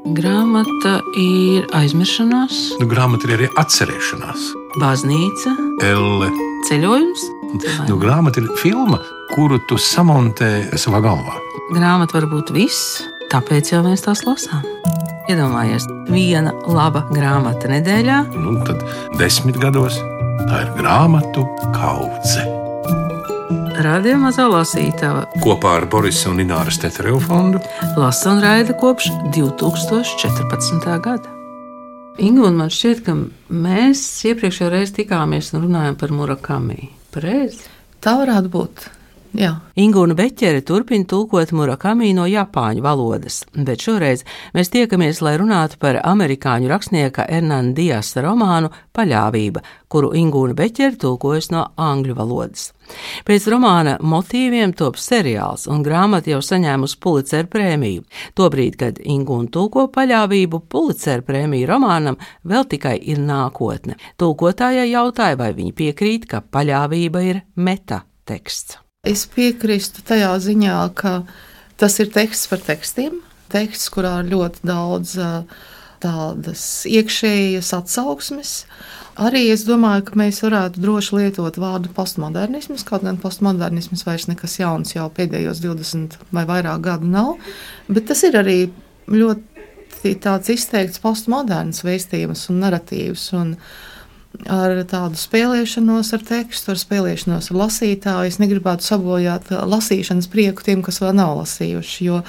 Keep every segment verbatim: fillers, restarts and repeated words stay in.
Grāmata ir aizmiršanās, Nu, grāmata ir arī atcerēšanās. baznīca, Elle. ceļojums. Nu, grāmata ir filma, kuru tu samontē savā galvā. Grāmata var būt viss, tāpēc jau mēs tās lasām. Iedomājies, viena laba grāmata nedēļā. Nu, tad desmit gados tā ir grāmatu kaudze. Radio Mazā lasītava Kopā ar Borisa un Ināras Teterevu fondu lasa un raida kopš divi tūkstoši četrpadsmitā gada. Inga, un man šķiet, ka mēs iepriekšējā reizē tikāmies un runājām par Murakami. Pareizi? Tā varētu būt. Jā. Ingūna Beķere turpina tulkot Murakami no japāņu valodas, bet šoreiz mēs tiekamies, lai runātu par amerikāņu rakstnieka Hernana Diasa romānu Paļāvība, kuru Ingūna Beķere tulkojas no angļu valodas. Pēc romāna motīviem top seriāls, un grāmata jau saņēmusi Pulitzer prēmiju. Tobrīd, kad Ingūna tulko Paļāvību, Pulitzer prēmiju romānam vēl tikai ir nākotne. Tulkotājai jautāja, vai viņa piekrīt, ka Paļāvība ir metateksts. Es piekrīstu tajā ziņā, ka tas ir teksts par tekstiem. Teksts, kurā ir ļoti daudz tādas iekšējas atsauksmes. Arī es domāju, ka mēs varētu droši lietot vārdu postmodernisms, kaut gan postmodernisms vairs nekas jauns jau pēdējos divdesmit vai vairāk gadu nav, bet tas ir arī ļoti tāds izteikts postmoderns vēstījums un naratīvs, un ar tādu spēlēšanos ar tekstu, ar spēlēšanos ar lasītāju. Es negribētu sabojāt lasīšanas prieku tiem, kas vēl nav lasījuši, jo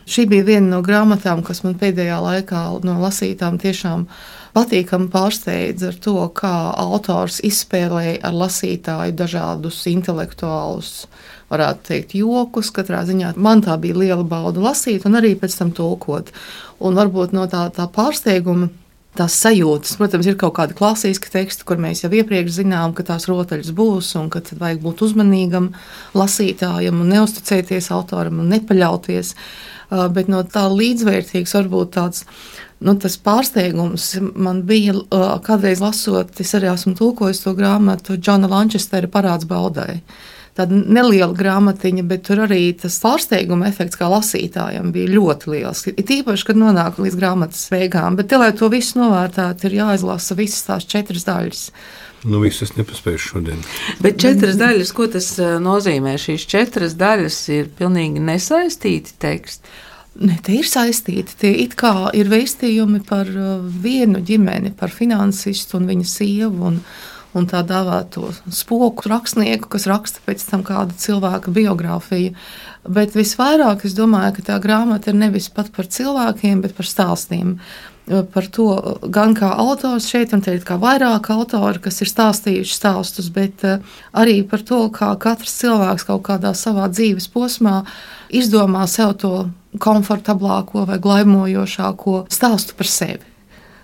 šī bija viena no grāmatām, kas man pēdējā laikā no lasītām tiešām patīkami pārsteidz ar to, kā autors izspēlēja ar lasītāju dažādus intelektuālus, varētu teikt, jokus. Katrā ziņā man tā bija liela bauda lasīt un arī pēc tam tulkot. Un varbūt no tā, tā pārsteiguma tās sajūtas, protams, ir kaut kādi klasiski teksti, kur mēs jau iepriekš zinām, ka tās rotaļas būs un ka tad vajag būt uzmanīgam lasītājam un neusticēties autoram un nepaļauties. Bet no tā līdzvērtīgs varbūt tāds, nu, tas pārsteigums man bija kādreiz lasot, es arī esmu tulkojis to grāmatu Džona Lančestera Parāds baudai. Tāda neliela grāmatiņa, bet tur arī tas pārsteiguma efekts kā lasītājam bija ļoti liels. Ir tīpaši, kad nonāk līdz grāmatas beigām, bet te, lai to visu novērtētu, ir jāizlasa visas tās četras daļas. Nu, visas nepaspējuši šodien. Bet četras daļas, ko tas nozīmē? Šīs četras daļas ir pilnīgi nesaistīti teksti. Ne, tie ir saistīti. Tie it kā ir vēstījumi par vienu ģimeni, par finansistu un viņa sievu un un tā dāvāto spoku rakstnieku, kas raksta pēc tam kāda cilvēka biogrāfiju. Bet visvairāk es domāju, ka tā grāmata ir nevis pat par cilvēkiem, bet par stāstiem. Par to gan kā autors šeit, un te ir kā vairāk autori, kas ir stāstījuši stāstus, bet arī par to, kā katrs cilvēks kaut kādā savā dzīves posmā izdomā sev to komfortablāko vai glaimojošāko stāstu par sevi.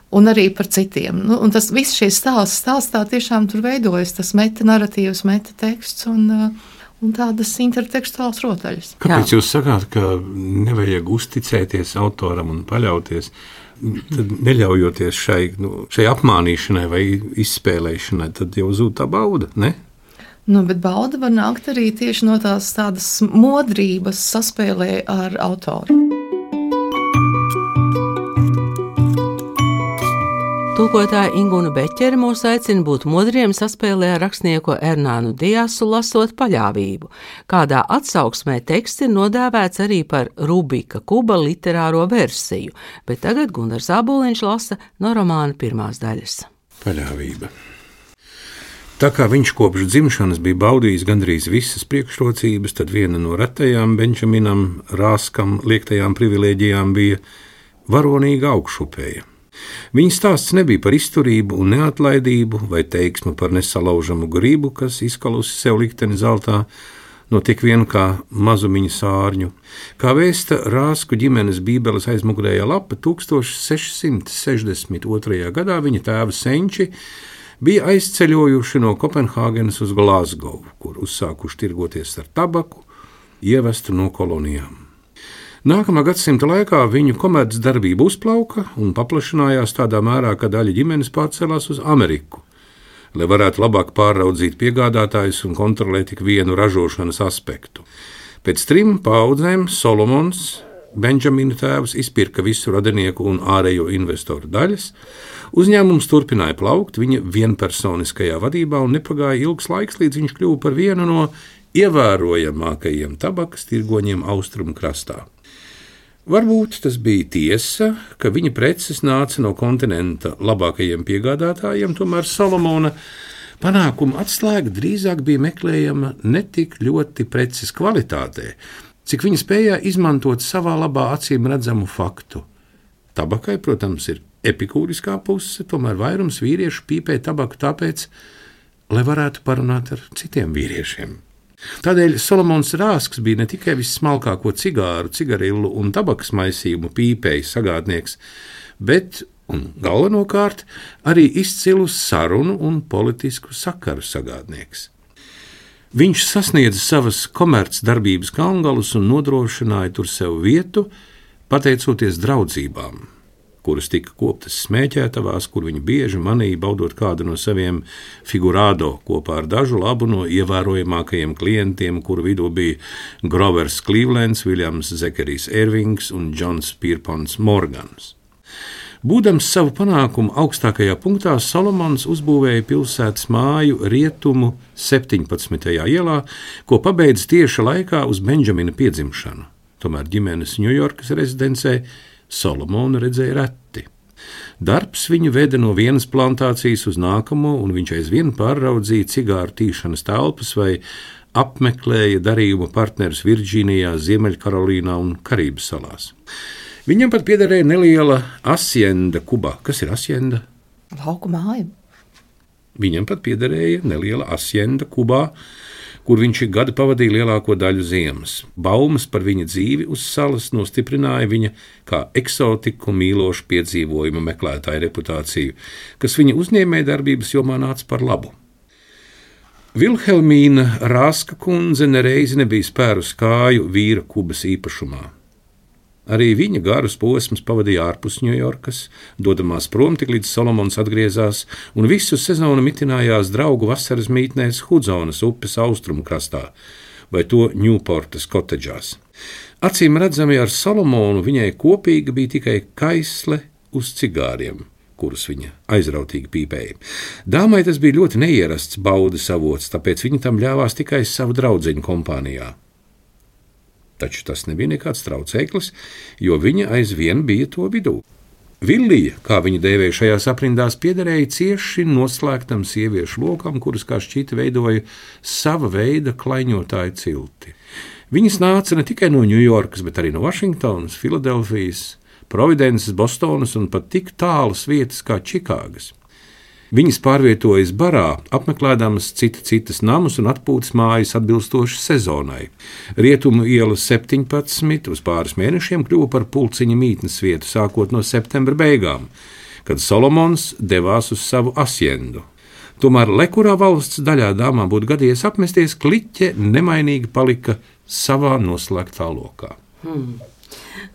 Un arī par citiem. Nu, un tas viss šie stāsts, stāstā tiešām tur veidojas tas meta narratīvs, meta teksts un, un tādas intertekstuāls rotaļas. Kāpēc Jā. Jūs sakāt, ka nevajag uzticēties autoram un paļauties, tad neļaujoties šai, nu, šai apmānīšanai vai izspēlēšanai, tad jau zūd tā bauda, ne? Nu, bet bauda var nākt arī tieši no tās tādas modrības saspēlē ar autoru. Tulkotāja Ingūna Beķere mūs aicina būt modriem saspēlē ar rakstnieku Hernānu Diasu lasot Paļāvību. Kādā atsauksmē teksts ir nodēvēts arī par Rubika Kuba literāro versiju, bet tagad Gunārs Āboliņš lasa no romāna pirmās daļas. Paļāvība. Tā kā viņš kopš dzimšanas bija baudījis gandrīz visas priekšrocības, tad viena no retajām Benčaminam Rāskam liektajām privilēģijām bija varonīga augšupēja. Viņa stāsts nebija par izturību un neatlaidību vai teiksmu par nesalaužamu gribu, kas izkalusi sev likteni zeltā, no tik vien kā mazumiņa sārņu. Kā vēsta Rāsku ģimenes bībeles aizmugurējā lapa, tūkstoš seši sešdesmit otrajā gadā viņa tēva senči bija aizceļojuši no Kopenhāgenes uz Glasgow, kur uzsākuši tirgoties ar tabaku, ievestu no kolonijām. Nākamā gadsimta laikā viņu komercdarbība uzplauka un paplašinājās tādā mērā, ka daļa ģimenes pārcēlās uz Ameriku, lai varētu labāk pāraudzīt piegādātājus un kontrolēt tik vienu ražošanas aspektu. Pēc trim paudzēm Solomons, Benjamina tēvs izpirka visu radinieku un ārējo investoru daļas. Uzņēmums turpināja plaukt viņa vienpersoniskajā vadībā un nepagāja ilgs laiks, līdz viņš kļuva par vienu no ievērojamākajiem tabakas tirgoņiem austrumu krastā. Varbūt tas bija tiesa, ka viņa preces nāca no kontinenta labākajiem piegādātājiem, tomēr Solomona panākuma atslēga drīzāk bija meklējama ne tik ļoti preces kvalitātē, cik viņa spējā izmantot savā labā acīm redzamu faktu. Tabakai, protams, ir epikūriskā puse, tomēr vairums vīriešu pīpē tabaku tāpēc, lai varētu parunāt ar citiem vīriešiem. Tādēļ Solomons Rāsks bija ne tikai vissmalkāko cigāru, cigarillu un tabakas maisījumu pīpēju sagādnieks, bet, un galvenokārt, arī izcilu sarunu un politisku sakaru sagādnieks. Viņš sasniedza savas komercdarbības kalngalus un nodrošināja tur sev vietu, pateicoties draudzībām, kuras tika koptas smēķētavās, kur viņi bieži manīja baudot kādu no saviem figurādo kopā ar dažu labu no ievērojamākajiem klientiem, kuru vidū bija Grovers Clevelands, Viljams Zekerijs Ervings un Džons Pierpons Morgans. Būdams savu panākumu augstākajā punktā, Solomons uzbūvēja pilsētas māju Rietumu septiņpadsmitajā ielā, ko pabeidza tieša laikā uz Benjamina piedzimšanu. Tomēr ģimenes Ņujorkas rezidencē Solomonu redzēja reti. Darbs viņu veda no vienas plantācijas uz nākamo, un viņš aizvien pārraudzīja cigāru tīšanas telpas vai apmeklēja darījuma partnerus Virģīnijā, Ziemeļkarolīnā un Karību salās. Viņam pat piederēja neliela asjenda Kubā. Kas ir asjenda? Lauku māja. Viņam pat piederēja neliela asjenda Kubā, kur viņš gadu pavadīja lielāko daļu ziemas. Baumas par viņa dzīvi uz salas nostiprināja viņa kā eksotiku mīlošu piedzīvojumu meklētāju reputāciju, kas viņa uzņēmēja darbības jomā nāca par labu. Vilhelmīna Rāska kundze nereizi nebija spērus kāju vīra Kubas īpašumā. Arī viņa garus posmus pavadīja ārpus Ņujorkas, dodamās prom tik līdz Solomons atgriezās, un visu sezonu mitinājās draugu vasaras mītnēs Hudzonas upes austrumu krastā, vai to Ņūportas kotedžās. Acīm redzami ar Solomonu viņai kopīga bija tikai kaisle uz cigāriem, kurus viņa aizrautīgi pīpēja. Dāmai tas bija ļoti neierasts baudas avots, tāpēc viņa tam ļāvās tikai savu draudzeņu kompānijā. Taču tas nebija nekāds traucēklis, jo viņa aizvien bija to vidū. Villija, kā viņa dēvēja šajās aprindās, piederēja cieši noslēgtam sieviešu lokam, kuras kā šķita veidoja sava veida klaiņotāju cilti. Viņas nāca ne tikai no Ņujorkas, bet arī no Vašingtonas, Filadelfijas, Providences, Bostonas un pat tik tālas vietas kā Čikāgas. Viņas pārvietojas barā, apmeklēdamas cita citas namus un atpūtas mājas atbilstoši sezonai. Rietumu iela septiņpadsmit uz pāris mēnešiem kļuva par pulciņa mītnes vietu sākot no septembra beigām, kad Solomons devās uz savu asjendu. Tomēr, lai kurā valsts daļā dāmām būtu gadījies apmesties, kliķe nemainīgi palika savā noslēgtā lokā. Hmm.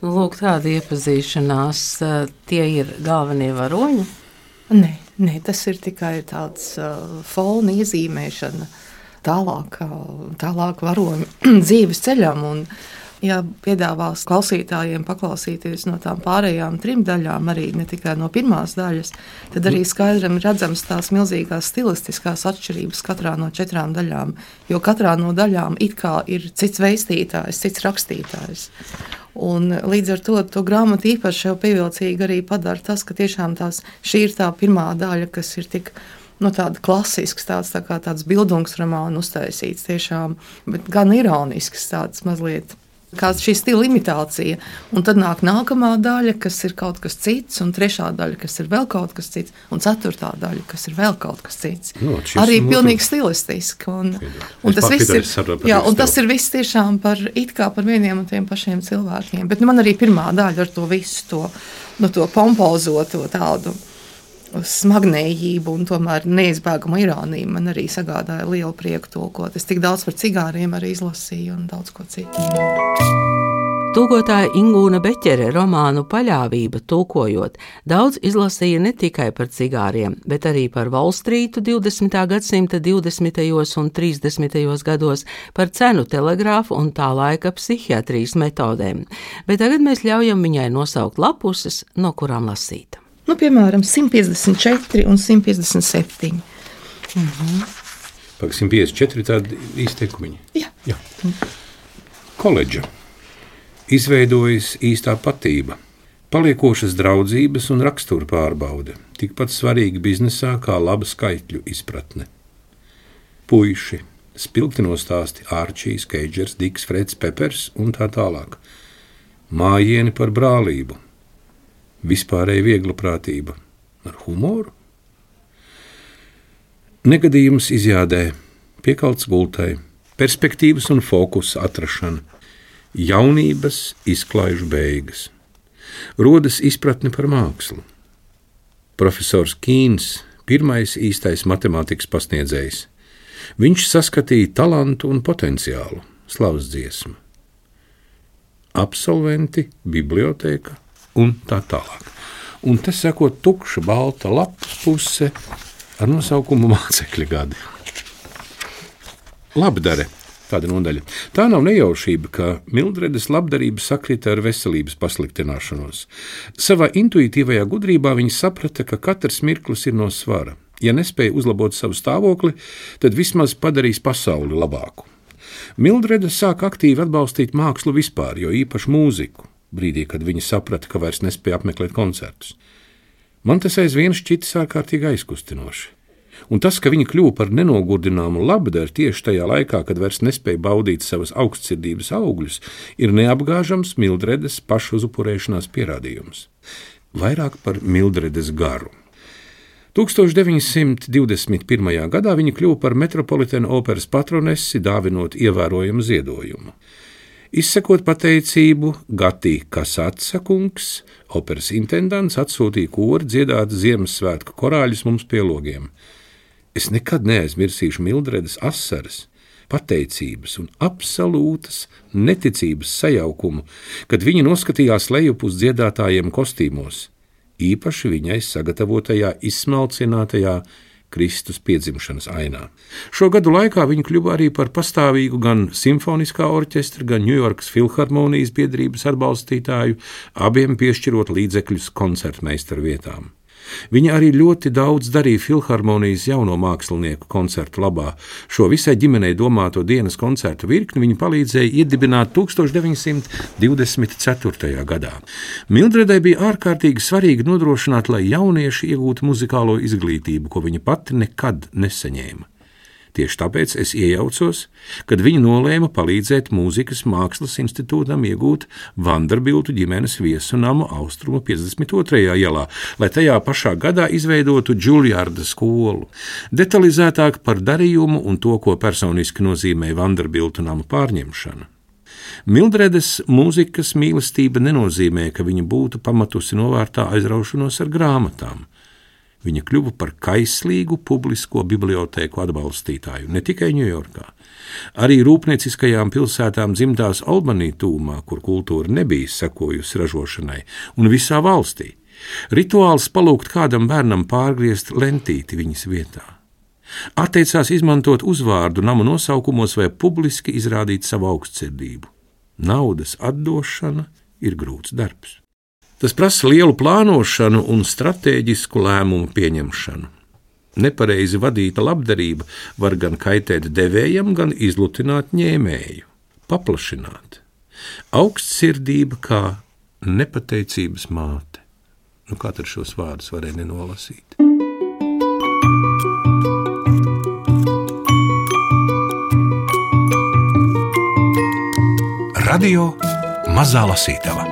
Lūk, tāda iepazīšanās, tie ir galvenie varoņi? Nē, nē, tas ir tikai tāds uh, fona iezīmēšana tālāk, uh, tālāk varoņu dzīves ceļam. Un, ja piedāvās klausītājiem paklausīties no tām pārējām trim daļām, arī ne tikai no pirmās daļas, tad arī skaidram redzams tās milzīgās stilistiskās atšķirības katrā no četrām daļām, jo katrā no daļām it kā ir cits veistītājs, cits rakstītājs. Un līdz ar to, to grāmatu īpaši jau pievilcīgi arī padara tas, ka tiešām tās, šī ir tā pirmā daļa, kas ir tik nu, tāda klasisks, tāds, tā kā tāds bildungs romānu uztaisīts tiešām, bet gan ironisks tāds mazliet. Kā šī stila imitācija, un tad nāk nākamā daļa, kas ir kaut kas cits, un trešā daļa, kas ir vēl kaut kas cits, un ceturtā daļa, kas ir vēl kaut kas cits. No, arī pilnīgi stilistiski. Un, un, tas viss ir, jā, un tas ir viss tiešām par, it kā par vieniem un tiem pašiem cilvēkiem. Bet nu, man arī pirmā daļa ar to visu, to, nu, to pompozo, to tādu smagnējību un tomēr neizbēgamu ironiju man arī sagādāja lielu prieku tulkot. Es tik daudz par cigāriem arī izlasīju un daudz ko citu. Tūkotāja Ingūna Beķere romānu Paļāvība tulkojot daudz izlasīja ne tikai par cigāriem, bet arī par Volstrītu divdesmitā gadsimta divdesmitajos un trīsdesmitajos gados, par cenu telegrāfu un tā laika psihiatrijas metodēm. Bet tagad mēs ļaujam viņai nosaukt lapuses, no kurām lasīt. Nu, piemēram, simt piecdesmit četri un simt piecdesmit septiņi. Mhm. Pag simt piecdesmit četri tādi izteikumiņi. Jā. Jā. Koledža. Izveidojas īstā patība, paliekošas draudzības un rakstura pārbaude, tikpat svarīgi biznesā kā laba skaitļu izpratne. Puiši, spilgti nostāsti Ārčijs, Keidžers, Diks, Freds, Pepers un tā tālāk. Mājieni par brālību, vispārēja vieglaprātība ar humoru. Negadījums izjādē, piekalts gultai, perspektīvas un fokusa atrašana. Jaunības izklaižu beigas. Rodas izpratne par mākslu. Profesors Kīns, pirmais īstais matemātikas pasniedzējs. Viņš saskatīja talantu un potenciālu, slavas dziesmu. Absolventi, bibliotēka un tā tālāk. Un te seko tukša balta lapas puse ar nosaukumu mācekļa gadi. Labdare. Tāda nodaļa. Tā nav nejaušība, ka Mildredes labdarība sakrita ar veselības pasliktināšanos. Savā intuitīvajā gudrībā viņa saprata, ka katrs mirklis ir no svara. Ja nespēja uzlabot savu stāvokli, tad vismaz padarīs pasauli labāku. Mildrede sāk aktīvi atbalstīt mākslu vispār, jo īpaši mūziku, brīdī, kad viņa saprata, ka vairs nespēja apmeklēt koncertus. Man tas aizvien šķitis ārkārtīgi aizkustinoši. Un tas, ka viņa kļuva par nenogurdināmu labdari tieši tajā laikā, kad vairs nespēja baudīt savas augstsirdības augļus, ir neapgāžams Mildredes pašuzupurēšanās pierādījums. Vairāk par Mildredes garu. tūkstoš deviņi simt divdesmit pirmajā gadā viņa kļuva par Metropolitena operas patronesi, dāvinot ievērojumu ziedojumu. Izsakot pateicību, Gatī Kasatsa kungs, operas intendants, atsūtīja kori dziedāt Ziemassvētku korāļus mums pie logiem. Es nekad neaizmirsīšu Mildredes asaras, pateicības un absolūtas neticības sajaukumu, kad viņa noskatījās lejup uz dziedātājiem kostīmos, īpaši viņai sagatavotajā izsmalcinātajā Kristus piedzimšanas ainā. Šo gadu laikā viņa kļuva arī par pastāvīgu gan simfoniskā orķestra, gan Ņujorkas filharmonijas biedrības atbalstītāju, abiem piešķirot līdzekļus koncertmeistaru vietām. Viņa arī ļoti daudz darīja filharmonijas jauno mākslinieku koncertu labā. Šo visai ģimenei domāto dienas koncertu virkni viņa palīdzēja iedibināt tūkstoš deviņi simt divdesmit ceturtajā gadā. Mildredai bija ārkārtīgi svarīgi nodrošināt, lai jaunieši iegūtu muzikālo izglītību, ko viņa pati nekad nesaņēma. Tieši tāpēc es iejaucos, kad viņa nolēma palīdzēt Mūzikas mākslas institūtam iegūt Vanderbiltu ģimenes viesu namu Austrumu piecdesmit otrajā ielā, lai tajā pašā gadā izveidotu Džuljārda skolu. Detalizētāk par darījumu un to, ko personiski nozīmē Vanderbiltu namu pārņemšana. Mildredes mūzikas mīlestība nenozīmē, ka viņa būtu pamatusi novārtā aizraušanos ar grāmatām. Viņa kļuva par kaislīgu publisko bibliotēku atbalstītāju, ne tikai Ņujorkā. Arī rūpnieciskajām pilsētām dzimtās Albany tūmā, kur kultūra nebija sekojusi ražošanai, un visā valstī. Rituāls palūgt kādam bērnam pārgriezt lentīti viņas vietā. Atteicās izmantot uzvārdu namu nosaukumos vai publiski izrādīt savu augstsirdību. Naudas atdošana ir grūts darbs. Tas prasa lielu plānošanu un stratēģisku lēmumu pieņemšanu. Nepareizi vadīta labdarība var gan kaitēt devējam, gan izlutināt ņēmēju, paplašināt. Augstsirdība kā nepateicības māte. Nu, kā tad šos vārdus varēja nenolasīt? Radio Mazā Lasītava.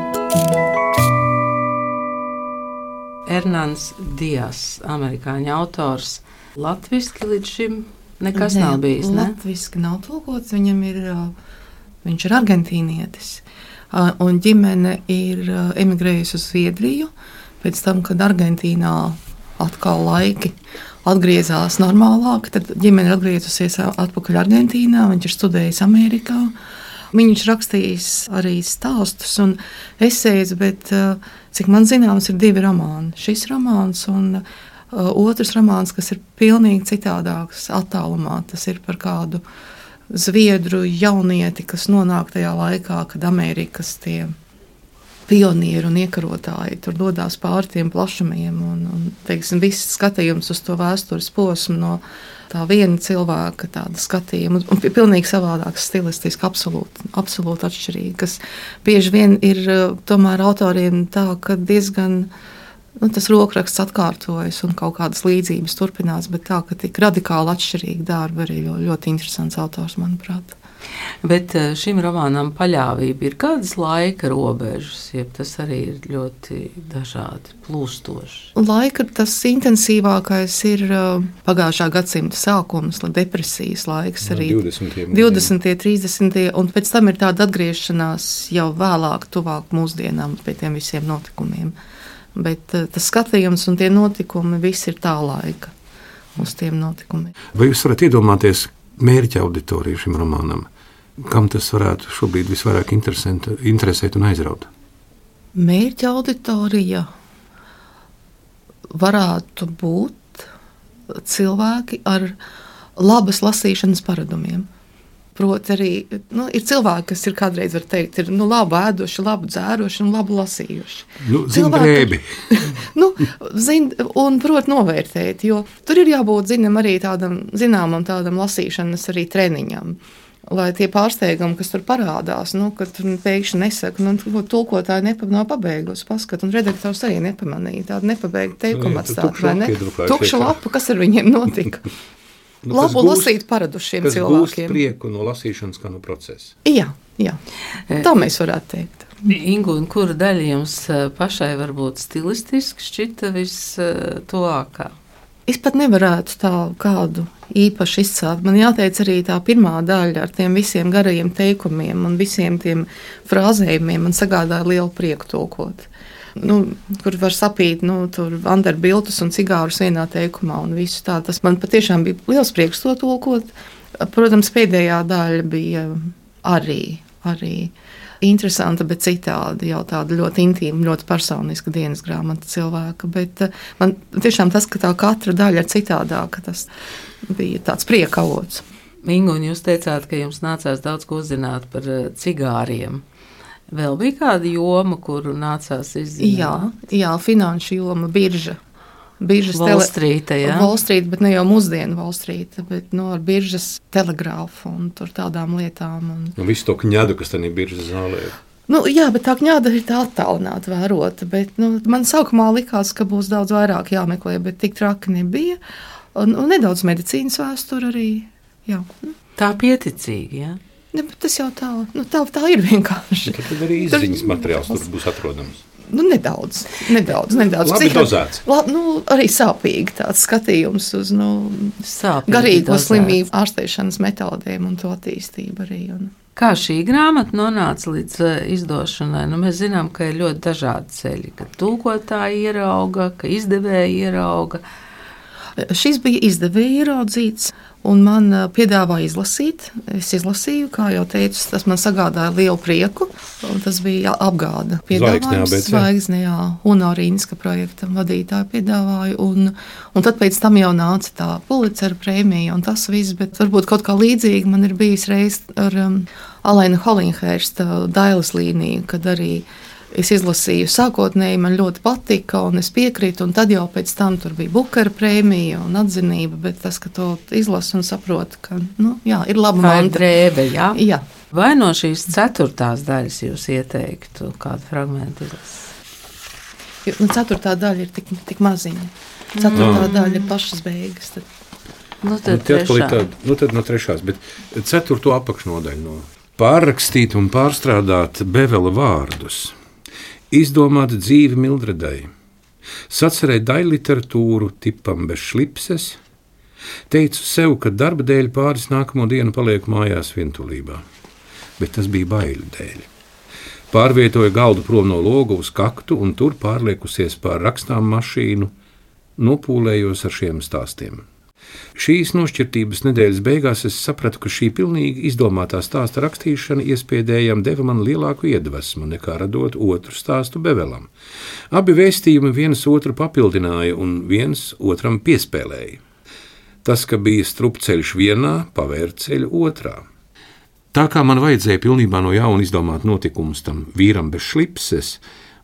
Hernans Dias, amerikāņu autors. Latviski līdz šim nekas ne, nav bijis, ne? Latviski nav tulkots, viņam ir, viņš ir argentīnietis. Un ģimene ir emigrējusi uz Zviedriju, pēc tam, kad Argentīnā atkal laiki atgriezās normālāk, tad ģimene ir atgriezusies atpakaļ Argentīnā, viņš ir studējis Amerikā. Viņš rakstījis arī stāstus un esejas, bet, cik man zināms, ir divi romāni. Šis romāns un uh, otrs romāns, kas ir pilnīgi citādāks attālumā. Tas ir par kādu zviedru jaunieti, kas nonāk tajā laikā, kad Amerikas tie pionieri un iekarotāji tur dodās pāri tiem plašumiem. Un, un, teiksim, viss skatījums uz to vēstures posmu no tā viena cilvēka tāda skatījuma, un, un pilnīgi savādāks stilistiski, absolūti, absolūti atšķirīgi, kas bieži vien ir tomēr autoriem tā, ka diezgan, nu, tas rokraksts atkārtojas un kaut kādas līdzības turpinās, bet tā, ka tik radikāli atšķirīgi darbi arī ļoti interesants autors, manuprāt. Bet šim romānam paļāvība ir kādas laika robežas, jeb tas arī ir ļoti dažādi, plūstoši? Laika tas intensīvākais ir pagājušā gadsimta sākums, depresijas laiks, arī divdesmitie, trīsdesmitie, un pēc tam ir tāda atgriešanās jau vēlāk, tuvāk mūsdienām pie tiem visiem notikumiem. Bet tas skatījums un tie notikumi viss ir tā laika uz tiem notikumiem. Vai jūs varat iedomāties mērķa auditoriju šim romānam? Kam tas varētu šobrīd visvairāk interesēt un aizraut? Mērķa auditorija varētu būt cilvēki ar labas lasīšanas paradumiem. Proti arī, nu, ir cilvēki, kas ir kādreiz, var teikt, ir nu, labi ēdoši, labi dzēroši un labi lasījuši. Nu, zin drēbi. nu, zin, un, proti, novērtēt, jo tur ir jābūt, zinam, arī tādam, zināmam tādam lasīšanas arī treniņam. Lai tie pārsteigumi, kas tur parādās, nu, kad tur pēkšņi nesaka, nu, tulkotāji nepa, nav pabeigusi, paskat, un redaktors arī nepamanīja, tādu nepabeigtu teikumu atstāt, vai ne? Tukša lapa, kas ar viņiem notika? Nu, labu gūst, lasīt paradušiem kas cilvēkiem. Kas gūst prieku no lasīšanas kā no procesa. Jā, jā. Tā mēs varētu teikt. Ingu, un kura daļa jums pašai varbūt stilistiski šķita vistuvākā? Es pat nevarētu tā kādu īpaši izcelt. Man jāteic arī tā pirmā daļa ar tiem visiem garajiem teikumiem un visiem tiem frāzējumiem man sagādāja lielu prieku tulkot. Nu, kur var sapīt nu, Vanderbiltus un cigārus vienā teikumā un visu tā. Tas man patiešām bija liels prieks to tulkot. Protams, pēdējā daļa bija arī, arī interesanta, bet citādi jau tāda ļoti intīma, ļoti personiska dienas grāmata cilvēka. Bet man tiešām tas, ka tā katra daļa ir citādāka, tas bija tāds prieka avots. Ingu, un jūs teicāt, ka jums nācās daudz ko uzzināt par cigāriem. Vēl bija kāda joma, kuru nācās izzināt? Jā, jā, finanšu joma, birža. Biržas Wall Street, jā? Wall Street, bet ne jau mūsdienu Wall Street, bet no ar biržas telegrāfu un tur tādām lietām. Un... Nu, visu to kņadu, kas tad ir biržas zālē. Nu, jā, bet tā kņada ir tā attālināta vērota, bet nu, man sākumā likās, ka būs daudz vairāk jāmeklē, bet tik traki nebija. Un, un nedaudz medicīnas vēsture arī, jā. Tā pieticīgi, jā? Ne, bet tas jau tā, nu, tā, tā ir vienkārši. Tad, tad arī izziņas materiāls tur būs atrodams. Nu, nedaudz, nedaudz, nedaudz. Labi dozēts. La, nu, arī sāpīgi tāds skatījums uz nu, Sāpīgi garīgo dozēts. Slimību ārstēšanas metodēm un to attīstību arī. Un... Kā šī grāmata nonāca līdz izdošanai? Nu, mēs zinām, ka ir ļoti dažādi ceļi, ka tulkotāji ierauga, ka izdevēji ierauga. Šis bija izdevēja ieraudzīts, un man piedāvāja izlasīt. Es izlasīju, kā jau teicu, tas man sagādāja lielu prieku. Tas bija apgāda piedāvājums. Zvaigznē, jā, Unorīnska projektam vadītāju piedāvāju, un, un tad pēc tam jau nāca tā Pulicera prēmija un tas viss, bet varbūt kaut kā līdzīgi man ir bijis reiz ar um, Alaina Holinhērsta Dailes līniju, kad arī es izlasīju sākotnēji, man ļoti patika, un es piekrītu, un tad jau pēc tam tur bija Bukera prēmija un atzinība, bet tas, ka to izlasu un saprotu, ka, nu, jā, ir laba manta. Drēbe, jā? Jā. Vai no šīs ceturtās daļas jūs ieteiktu kādu fragmentu izlasīt? Nu, ceturtā daļa ir tik, tik maziņa. Ceturtā mm. daļa ir pašas beigas. Tad. Nu, tad, nu, trešā. Tād, nu, tad no trešās, bet ceturto apakšnodaļu no pārrakstīt un pārstrādāt Bevela vārdus. Izdomāt dzīvi Mildredai, sacerēt daļu literatūru tipam bez šlipses, teicu sev, ka darba dēļ pāris nākamo dienu palieku mājās vientulībā, bet tas bija baiļu dēļ. Pārvietoju galdu prom no loga uz kaktu un tur pārliekusies pār rakstām mašīnu, nopūlējos ar šiem stāstiem. Šīs nošķirtības nedēļas beigās es sapratu, ka šī pilnīgi izdomātā stāsta rakstīšana iespējām deva man lielāku iedvesmu nekā radot otru stāstu Bevelam. Abi vēstījumi viens otru papildināja un viens otram piespēlēja. Tas, ka bija strupceļš vienā, pavēra ceļu otrā. Tā kā man vajadzēja pilnībā no jauna izdomāt notikumus tam vīram bez šlipses,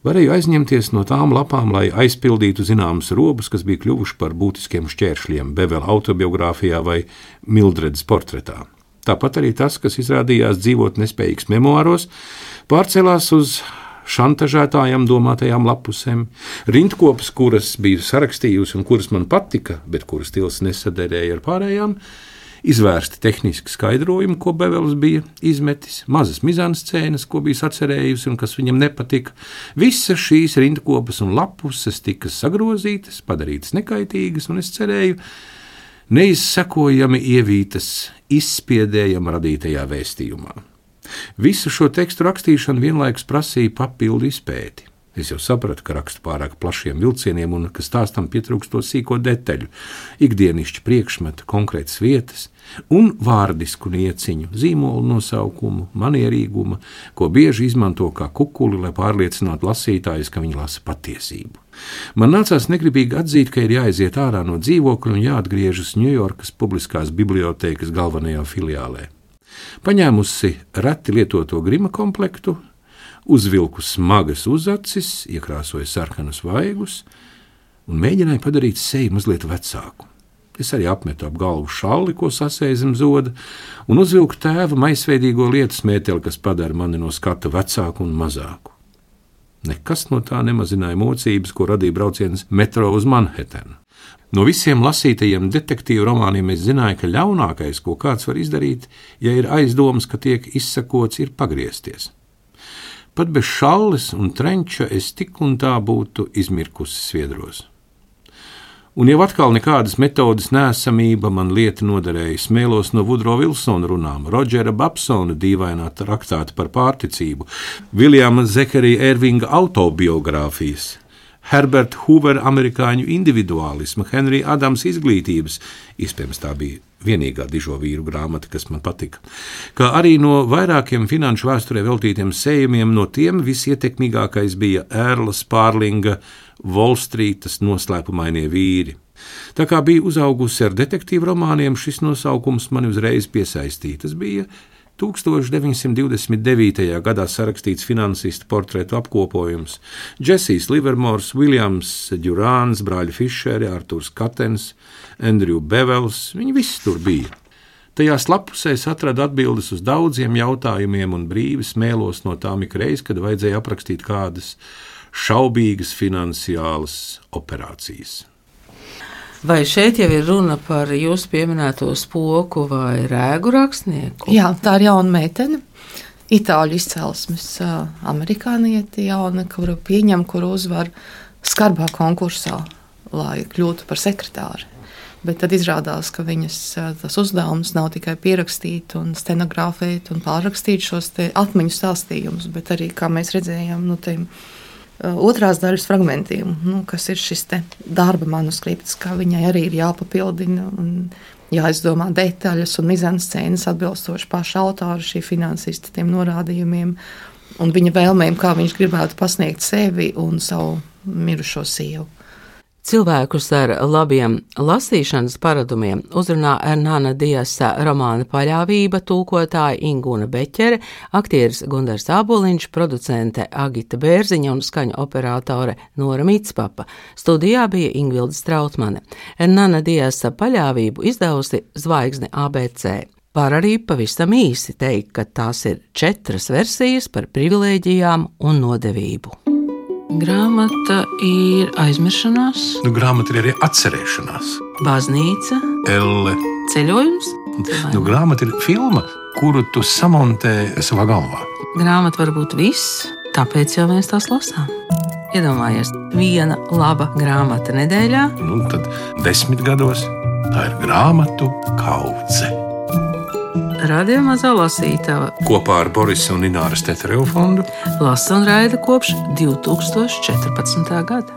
varēju aizņemties no tām lapām, lai aizpildītu zināmus robus, kas bija kļuvuši par būtiskiem šķēršļiem Bevela autobiogrāfijā vai Mildredas portretā. Tāpat arī tas, kas izrādījās dzīvot nespējīgs memoāros, pārcelās uz šantažētājām domātajām lapusēm, rindkopas, kuras biju sarakstījusi un kuras man patika, bet kuras stils nesaderēja ar pārējām, izvērsti tehniski skaidrojumi, ko Bevels bija izmetis, mazas mizanscēnas, ko bija sacerējusi un kas viņam nepatika. Visas šīs rindkopas un lapuses tika sagrozītas, padarītas nekaitīgas, un es cerēju, neizsekojami ievītas izspiedējama radītajā vēstījumā. Visu šo tekstu rakstīšanu vienlaikus prasīja papildu izpēti. Es jau sapratu, ka rakstu pārāk plašiem vilcieniem un ka stāstam pietrūkst to sīko detaļu, ikdienišķi priekšmeta, konkrētas vietas un vārdisku nieciņu, zīmolu nosaukumu, manierīguma, ko bieži izmanto kā kukuli, lai pārliecinātu lasītājus, ka viņi lasa patiesību. Man nācās negribīgi atzīt, ka ir jāaiziet ārā no dzīvokļa un jāatgriežas Ņujorkas publiskās bibliotēkas galvenajā filiālē. Paņēmusi reti lietoto grima komplektu, uzvilku smagas uzacis, iekrāsoju sarkanus vaigus un mēģināju padarīt seju mazliet vecāku. Es arī apmetu ap galvu šalli, ko sasēju zem zoda, un uzvilku tēva maisveidīgo lietu smēteli, kas padara mani no skata vecāku un mazāku. Nekas no tā nemazināja mocības, ko radīja brauciens metro uz Manhattan. No visiem lasītajiem detektīvu romāniem es zināju, ka ļaunākais, ko kāds var izdarīt, ja ir aizdomas, ka tiek izsakots, ir pagriezties. Pat bez šalles un trenča es tik un tā būtu izmirkusi sviedros. Un jau atkal nekādas metodas neesamība man lieta noderēja. Smēlos no Vudro Vilsona runām, Rodžera Babsona dīvainā traktāta par pārticību, Viljama Zekarija Ervinga autobiogrāfijas, Herbert Hoover amerikāņu individuālisma, Henrija Adams izglītības, iespējams tā bija vienīgā dižo vīru grāmata, kas man patika, kā arī no vairākiem finanšu vēsturē veltītiem sējumiem, no tiem visietekmīgākais bija Ērla Spārlinga Volstrītas noslēpumainie vīri. Tā kā bija uzaugusi ar detektīvu romāniem, šis nosaukums mani uzreiz piesaistīja. Tas bija tūkstoš deviņsimt divdesmit devītajā gadā sarakstīts finansistu portretu apkopojums. Džesijs Livermors, Viljams Djurāns, brāļi Fišeri, Arturs Katens, Andrew Bevels, viņi visi tur bija. Tajās lapusēs atradu atbildes uz daudziem jautājumiem un brīvi smēlos no tām ikreiz, kad vajadzēja aprakstīt kādas šaubīgas finansiālas operācijas. Vai šeit jau ir runa par jūsu pieminēto spoku vai rēgu rakstnieku? Jā, tā ir jauna meitene, itāļu izcelsmes amerikānieti jauna, kuru pieņem, kuru uzvar skarbā konkursā, lai kļūtu par sekretāri. Bet tad izrādās, ka viņas tas uzdevums nav tikai pierakstīt un stenogrāfēt un pārrakstīt šos te atmiņu stāstījumus, bet arī, kā mēs redzējām, nu, tiem otrās daļas fragmentiem, nu, kas ir šis te darba manuskripts, kā viņai arī ir jāpapildina un jāizdomā detaļas un mizanscēnas atbilstoši paša autora šī finansista tiem norādījumiem un viņa vēlmēm, kā viņš gribētu pasniegt sevi un savu mirušo sievu. Cilvēkus ar labiem lasīšanas paradumiem uzrunā Hernana Diasa romāna Paļāvība tulkotāja Ingūna Beķere, aktieris Gundars Āboliņš, producente Agita Bērziņa un skaņu operātore Nora Mitspapa. Studijā bija Ingvilda Strautmane. Hernana Diasa Paļāvību izdevusi Zvaigzne A B C. Var arī pavisam īsi teikt, ka tās ir četras versijas par privilēģijām un nodevību. Grāmata ir aizmiršanās. Nu, grāmata ir arī atcerēšanās. Baznīca. Elle. Ceļojums. Nu, grāmata ir filma, kuru tu samontē savā galvā. Grāmata var būt viss, tāpēc jau mēs tās lasām. Iedomājies, viena laba grāmata nedēļā. Nu, tad desmit gados tā ir grāmatu kaudze. Radio Mazā lasītava kopā ar Borisa un Ināras Tetereva fondu lasa un raida kopš divtūkstoš četrpadsmitā gada.